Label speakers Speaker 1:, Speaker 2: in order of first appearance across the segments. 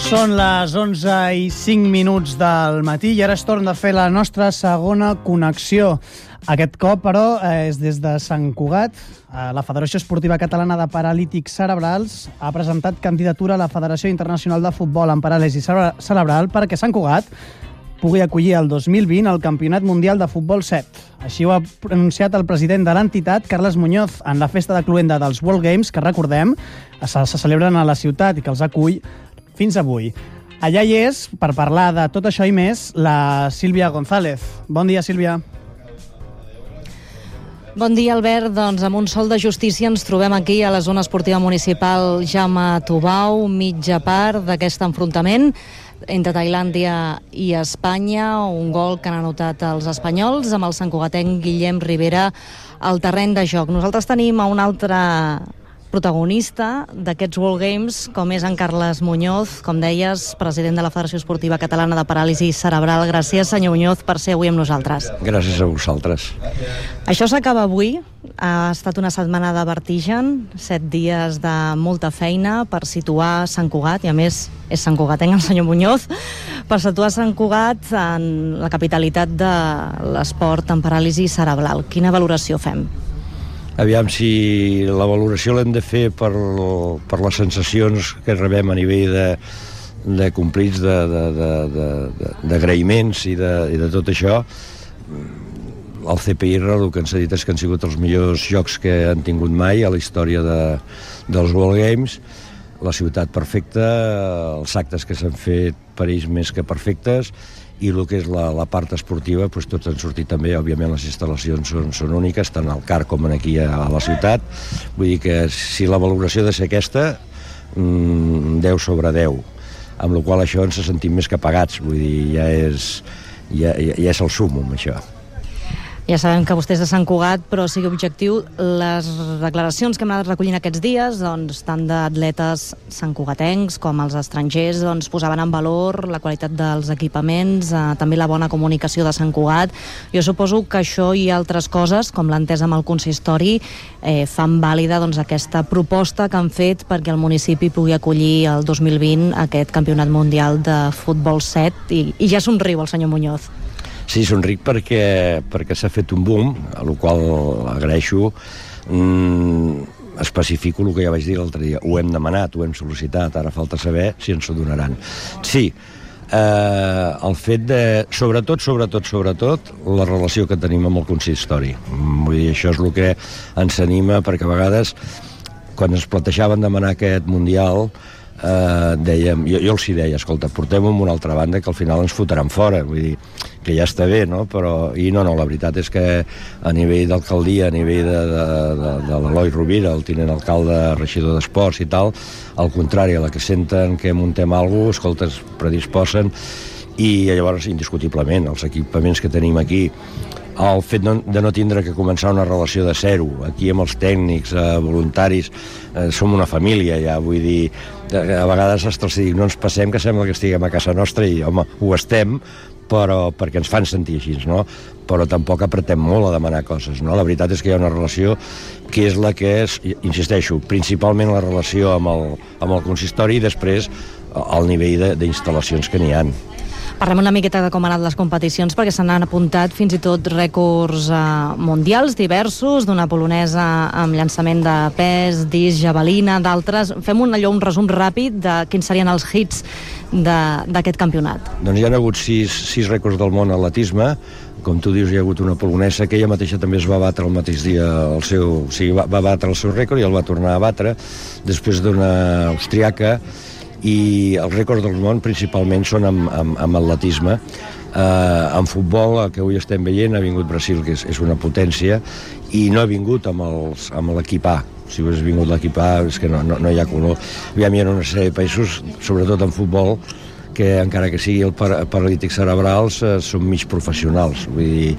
Speaker 1: Són les 11:05 del matí i ara és torn de fer la nostra segona connexió. Aquest cop, però, és des de Sant Cugat. La Federació Esportiva Catalana de Paralítics Cerebrals ha presentat candidatura a la Federació Internacional de Futbol en Paràlisi Cerebral perquè Sant Cugat pugui acollir el 2020 el Campionat Mundial de Futbol 7. Així ho ha pronunciat el president de l'entitat, Carles Muñoz, en la festa de cloenda dels World Games, que recordem, se celebren a la ciutat i que els acull fins avui. Allà hi és, per parlar de tot això i més, la Sílvia González. Bon dia, Sílvia.
Speaker 2: Bon dia, Albert. Doncs amb un sol de justícia ens trobem aquí a la zona esportiva municipal Jaume Tubau, mitja part d'aquest enfrontament entre Tailàndia i Espanya, un gol que han anotat els espanyols amb el santcugatenc Guillem Rivera al terreny de joc. Nosaltres tenim a un altre protagonista d'aquests World Games, com és en Carles Muñoz, com deies, president de la Federació Esportiva Catalana de Paràlisi Cerebral. Gràcies, senyor Muñoz, per ser avui amb nosaltres.
Speaker 3: Gràcies a vosaltres.
Speaker 2: Això s'acaba avui. Ha estat una setmana de vertigen, 7 dies de molta feina per situar Sant Cugat, i a més és santcugatenc el senyor Muñoz, per situar Sant Cugat en la capitalitat de l'esport en paràlisi cerebral. Quina valoració fem?
Speaker 3: Aviam, si la valoració l'hem de fer per les sensacions que rebem a nivell de complits, d'agraïments i de tot això, el CPIR el que ens ha dit és que han sigut els millors jocs que han tingut mai a la història dels World Games. La ciutat perfecta, els actes que s'han fet per ells més que perfectes, i el que és la part esportiva, doncs tots han sortit també. Òbviament les instal·lacions són úniques, tant al CAR com aquí a la ciutat. Vull dir que si la valoració ha de ser aquesta, 10 sobre 10, amb la qual això ens sentim més que pagats. Vull dir, ja és el súmmum, això.
Speaker 2: Ja sabem que vostè és de Sant Cugat, però sigui objectiu, les declaracions que hem anat recollint aquests dies, doncs, tant d'atletes santcugatencs com els estrangers, doncs, posaven en valor la qualitat dels equipaments, també la bona comunicació de Sant Cugat. Jo suposo que això i altres coses, com l'entesa amb el consistori, fan vàlida doncs, aquesta proposta que han fet perquè el municipi pugui acollir el 2020 aquest Campionat Mundial de Futbol 7, i ja somriu el senyor Muñoz.
Speaker 3: Sí, somric perquè s'ha fet un boom, a la qual agraeixo. Especifico el que ja vaig dir l'altre dia. Ho hem demanat, ho hem sol·licitat, ara falta saber si ens ho donaran. Sí, el fet de, sobretot, la relació que tenim amb el consistori. Vull dir, això és el que ens anima, perquè a vegades, quan ens plantejaven demanar aquest Mundial, dèiem, jo els hi deia, escolta, portem-ho amb una altra banda que al final ens fotran fora, vull dir, que ja està bé, no? Però, la veritat és que a nivell d'alcaldia, a nivell de l'Eloi Rovira, el tinent alcalde, regidor d'esports i tal, al contrari, a la que senten que muntem alguna cosa, escolta, es predisposen, i llavors, indiscutiblement, els equipaments que tenim aquí, el fet de no tindre que començar una relació de zero, aquí amb els tècnics, voluntaris, som una família ja, vull dir, a vegades no ens passem, que sembla que estiguem a casa nostra, i home, ho estem, però perquè ens fan sentir així, no? Però tampoc apretem molt a demanar coses, no? La veritat és que hi ha una relació que és la que és, insisteixo, principalment la relació amb el consistori i després el nivell d'instal·lacions que n'hi ha.
Speaker 2: Parlem una miqueta de com han anat les competicions, perquè se n'han apuntat fins i tot rècords mundials diversos, d'una polonesa amb llançament de pes, disc, javelina, d'altres. Fem un resum ràpid de quins serien els hits d'aquest campionat.
Speaker 3: Doncs hi ha hagut 6 rècords del món a atletisme. Com tu dius, hi ha hagut una polonesa que ella mateixa també es va batre el mateix dia va batre el seu rècord i el va tornar a batre, després d'una austriaca, i els rècords del món principalment són amb atletisme. En futbol, el que avui estem veient, ha vingut Brasil, que és una potència, i no ha vingut amb l'equip A. Si hagués vingut l'equip A, és que no hi ha color. Hi ha una sèrie de països, sobretot en futbol, que encara que sigui el paralítics cerebrals, són mig professionals, vull dir,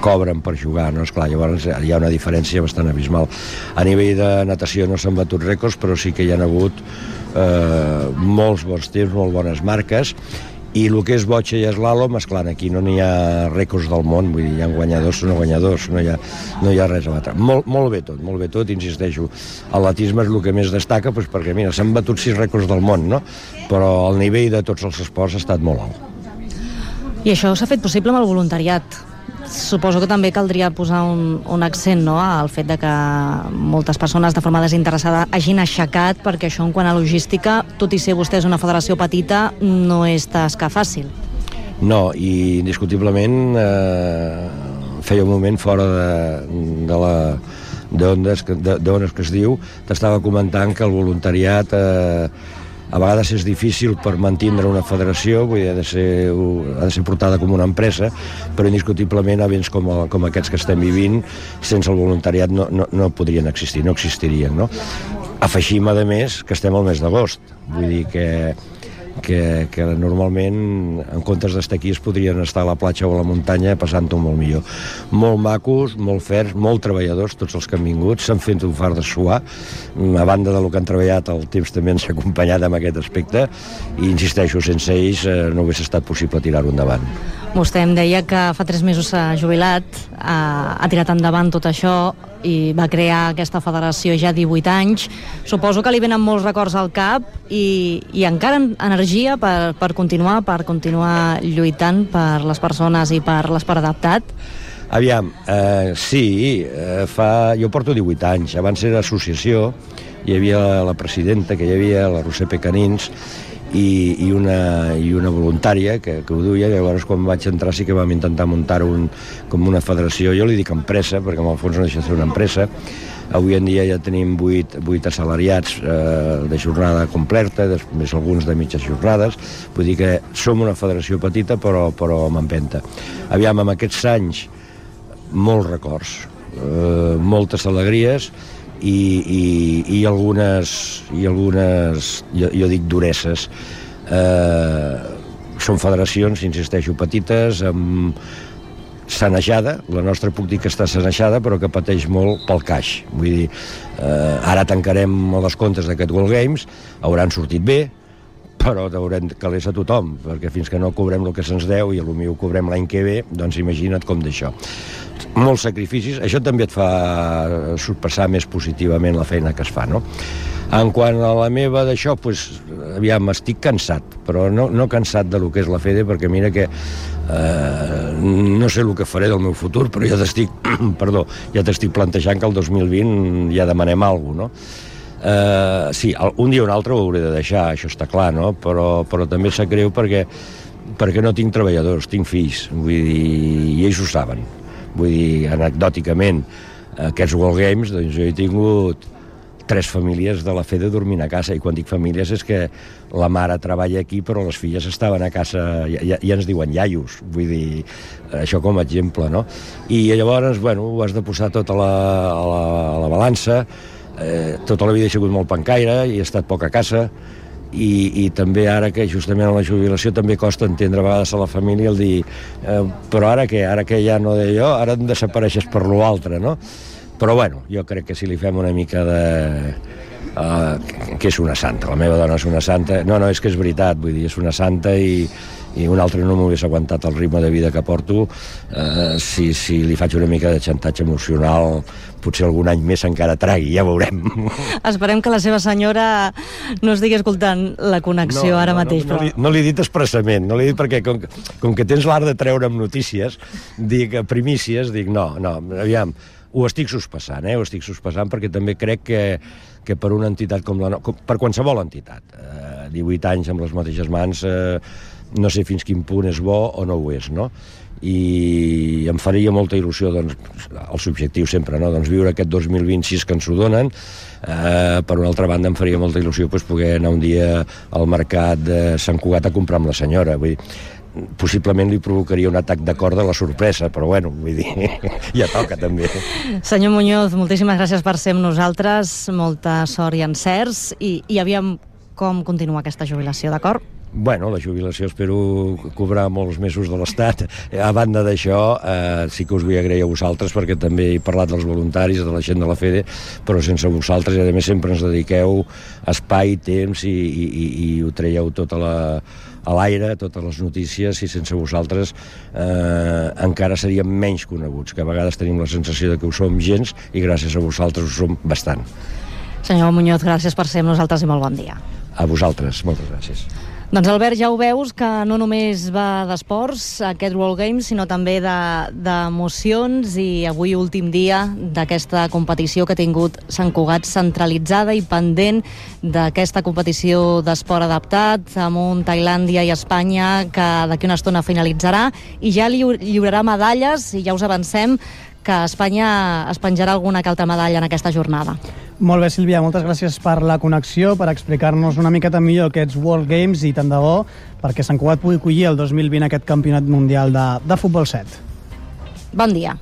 Speaker 3: cobren per jugar, no? Esclar, llavors hi ha una diferència bastant abismal. A nivell de natació no s'han batut rècords, però sí que hi ha hagut molts bons temps, molt bones marques, I el que és botxa i eslàlom, esclar, aquí no n'hi ha rècords del món, vull dir, hi ha guanyadors o no guanyadors, no hi ha res a batre. Molt bé tot, insisteixo. L'atletisme és el que més destaca, doncs perquè, mira, s'han batut 6 rècords del món, no? Però el nivell de tots els esports ha estat molt alt.
Speaker 2: I això s'ha fet possible amb el voluntariat. Suposo que també caldria posar un accent, no?, al fet de que moltes persones de forma desinteressada hagin aixecat, perquè això en quant a logística, tot i ser vostès una federació petita, no és tasca fàcil.
Speaker 3: No, i indiscutiblement feia un moment fora d'ones que es diu, t'estava comentant que el voluntariat a vegades és difícil per mantindre una federació, vull dir, ha de ser portada com una empresa, però indiscutiblement events com aquests que estem vivint, sense el voluntariat no podrien existir, no existirien, no? Afegim, a més, que estem al mes d'agost, vull dir que normalment, en comptes d'estar aquí, es podrien estar a la platja o a la muntanya passant-ho molt millor. Molt macos, molt ferms, molt treballadors, tots els que han vingut, s'han fet un far de suar, a banda del que han treballat, el temps també ens ha acompanyat en aquest aspecte, i insisteixo, sense ells no hagués estat possible tirar-ho endavant.
Speaker 2: Vostè em deia que fa 3 mesos s'ha jubilat, ha tirat endavant tot això i va crear aquesta federació ja 18 anys. Suposo que li venen molts records al cap i encara energia per continuar lluitant per les persones i per l'esport adaptat.
Speaker 3: Aviam, sí, jo porto 18 anys. Abans era associació, hi havia la presidenta, que hi havia la Roser Pecanins, i una voluntària que ho duia. Llavors, quan vaig entrar, sí que vam intentar muntar-ho com una federació. Jo li dic empresa, perquè en el fons no deixa de ser una empresa. Avui en dia ja tenim 8 assalariats de jornada completa, més alguns de mitges jornades. Vull dir que som una federació petita, però amb empenta. Aviam, amb aquests anys, molts records, moltes alegries, i algunes, jo dic, dureses. Són federacions, insisteixo, petites, amb sanejada. La nostra puc dir que està sanejada, però que pateix molt pel caix. Vull dir, ara tancarem les comptes d'aquest World Games, hauran sortit bé, però haurem calés a tothom, perquè fins que no cobrem el que se'ns deu, i potser ho cobrem l'any que ve, doncs imagina't com d'això. Molts sacrificis, això també et fa sorpassar més positivament la feina que es fa, no? En quant a la meva d'això, doncs, aviam, estic cansat, però no cansat de lo que és la FEDE, perquè mira que no sé el que faré del meu futur, però ja t'estic plantejant que el 2020 ja demanem alguna cosa, no? Sí, un dia o un altre ho hauré de deixar, això està clar, no? Però també sap greu perquè no tinc treballadors, tinc fills, vull dir, i ells ho saben. Vull dir, anecdòticament, aquests World Games, doncs jo he tingut 3 famílies de la FEDE dormint a casa, i quan dic famílies és que la mare treballa aquí, però les filles estaven a casa, ja ens diuen iaios, vull dir, això com a exemple, no? I llavors, bueno, ho has de posar tot a la balança. Tota la vida he sigut molt pencaire i he estat poc a casa, i també ara que justament a la jubilació també costa entendre a vegades a la família el dir però ara que ja no de jo, ara em desapareixes per lo altre, no? Però bueno, jo crec que si li fem una mica de que és una santa, la meva dona és una santa, no, és que és veritat, vull dir, és una santa, i un altre no m'hagués aguantat el ritme de vida que porto. Si li faig una mica de xantatge emocional, potser algun any més encara tragui, ja veurem.
Speaker 2: Esperem que la seva senyora no estigui escoltant la connexió ara mateix.
Speaker 3: No l'he dit expressament, no l'he dit perquè com que tens l'art de treure'm notícies, primícies, no, aviam, ho estic sospassant, ho estic sospassant, perquè també crec que per una entitat per qualsevol entitat, 18 anys amb les mateixes mans, no sé fins quin punt és bo o no ho és, no? I em faria molta il·lusió, doncs, els objectius sempre, no? Doncs viure aquest 2026 que ens ho donen. Per una altra banda, em faria molta il·lusió poder anar un dia al mercat de Sant Cugat a comprar amb la senyora, vull dir, possiblement li provocaria un atac de cor de la sorpresa, però bueno, vull dir, ja toca també.
Speaker 2: Senyor Muñoz, moltíssimes gràcies per ser amb nosaltres, molta sort i encerts, i aviam com continua aquesta jubilació, d'acord?
Speaker 3: Bueno, la jubilació espero cobrar molts mesos de l'Estat. A banda d'això, sí que us vull agrair a vosaltres, perquè també he parlat dels voluntaris, de la gent de la FEDE, però sense vosaltres, i a més sempre ens dediqueu espai, temps i ho traieu tot a l'aire, totes les notícies, i sense vosaltres encara seríem menys coneguts, que a vegades tenim la sensació de que ho som gens, i gràcies a vosaltres ho som bastant.
Speaker 2: Senyor Muñoz, gràcies per ser amb nosaltres i molt bon dia.
Speaker 3: A vosaltres, moltes gràcies.
Speaker 2: Doncs Albert, ja ho veus que no només va d'esports aquest World Games, sinó també d'emocions, i avui últim dia d'aquesta competició que ha tingut Sant Cugat, centralitzada i pendent d'aquesta competició d'esport adaptat, amb un Tailàndia i Espanya que d'aquí una estona finalitzarà, i ja lliurarà medalles, i ja us avancem que Espanya es penjarà alguna que altra medalla en aquesta jornada.
Speaker 1: Molt bé, Sílvia, moltes gràcies per la connexió, per explicar-nos una miqueta millor aquests World Games, i tant de bo perquè Sant Cugat pugui acollir el 2020 aquest campionat mundial de futbol 7.
Speaker 2: Bon dia.